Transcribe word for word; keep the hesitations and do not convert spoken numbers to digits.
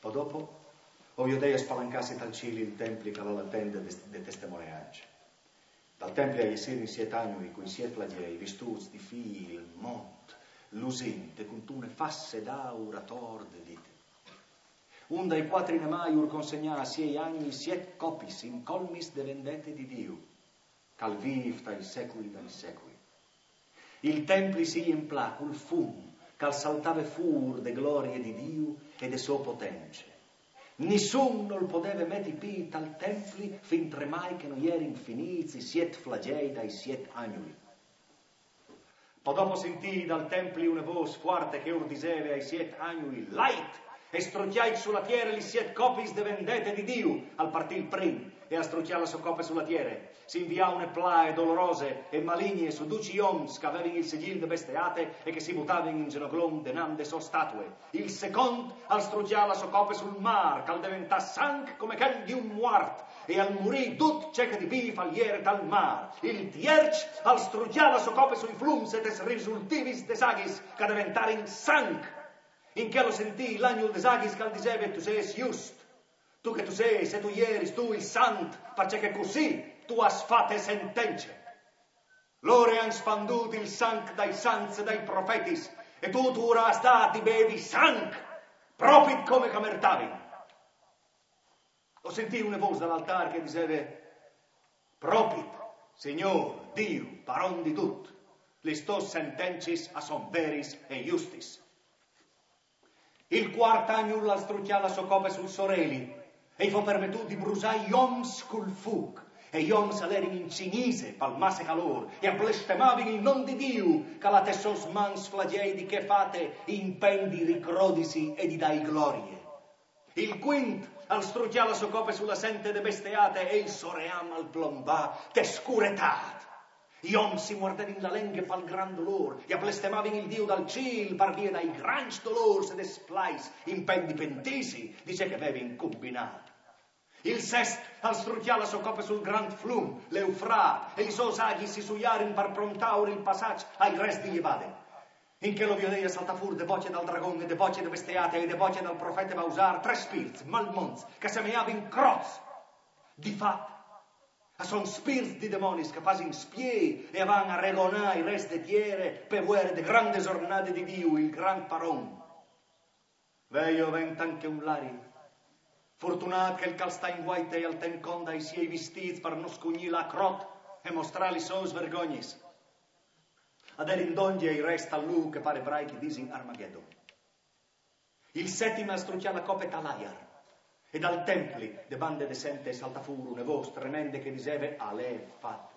O dopo, o viodei a spalancâsi tal cîl il templi che al à la tende de, de testemoneance. Dal templi a jessirin siet agnui cui siet flagjei, vistûts di fîl, mont, lusint e cuntune fasse d'aur ator de dite. Un dai cuatri nemâi ur consegnà a siei agnui siet copis incolmis de vendete di Diu, che al vîf tai secui dai secui. Il templi si jemplà cul fum che al saltave fûr de glorie di Diu e de sô potence. Nissun nol podeve meti pît tal templi fintremai che no jerin finîts i siet flagjei dai siet agnui. Po dopo o sintî dal templi une vôs fuarte che ur diseve ai siet agnui: «Lait e strucjait su la tiere li siet copis de vendete di Diu.» Al partì il prin e al strucjà la sô cope su la tiere. Si invià une plae dolorose e maligne su ducj i oms che a vevin il segjîl de besteate e che si butavin in zenoglon denant de sô statue. Il secont al strucjà la sô cope sul mâr, che al deventà sanc come chel di un muart, e al murì dut ce che di vîf al jere tal mâr. Il tierç al strucjà la sô cope sui flums e tes risultivis des aghis, che a deventarin sanc. In chel o sintì l'agnul des aghis che al diseve: «Tu sês just, tu che tu sês e tu jeris tu il sant, parcè che cussì tu âs fate sentence. Lôr a àn spandût il sanc dai sants e dai profetis, e tu tu ur âs dât di bevi sanc, propit come che a mertavin.» O sintì une vôs dal altâr che a diseve: «Propit, Signôr Diu, paron di dut, lis tôs sentencis a son veris e justis.» Il cuart agnul al strucjà la sô cope sul soreli, e i fo permetût di brusâ i oms cul fûc. E i oms a jerin in cinise pal masse calôr e a blestemavin il non di Diu, che al à tes sôs mans flagjei di chê fate, impendi di crodisi e di dâi glorie. Il cuint al strucjà la sô cope su la sente de besteate e il so ream al plombà te scuretât. I oms si muardevin la lenghe pal grant dolôr e a blestemavin il Diu dal cîl par vie dai grancj dolôrs e des plais, impendi pentîsi di ce che a vevin combinât. Il sest al strucjà la sô cope sul grant flum, l'Eufrat, e lis sôs aghis si sujarin par prontâur il passaç ai rets di jevade. In chel o viodei a saltâ fûr de bocje dal dragon e de bocje de besteate e de bocje dal profete Bausar trê spirts malmonts che a semeavin crots. Di fat, a son spirts di demonis che a fasin spiei e a van a regonâ i rets de tiere pe vuere de grande zornade di Diu, il grant paron. Ve jo, a vent ancje un lari. Fortunât chel che al sta in vuaite e al ten conde i siei vistîts par no scugnî la crot e mostrâ lis sôs vergognis. A jerin dongje i rets tal lûc che pare brai che a disin Armagedon. Il setim al strucjà la cope tal aiar, e dal templi, de bande de sente, e saltà fûr une vôs tremende che a diseve: «Al è fat.»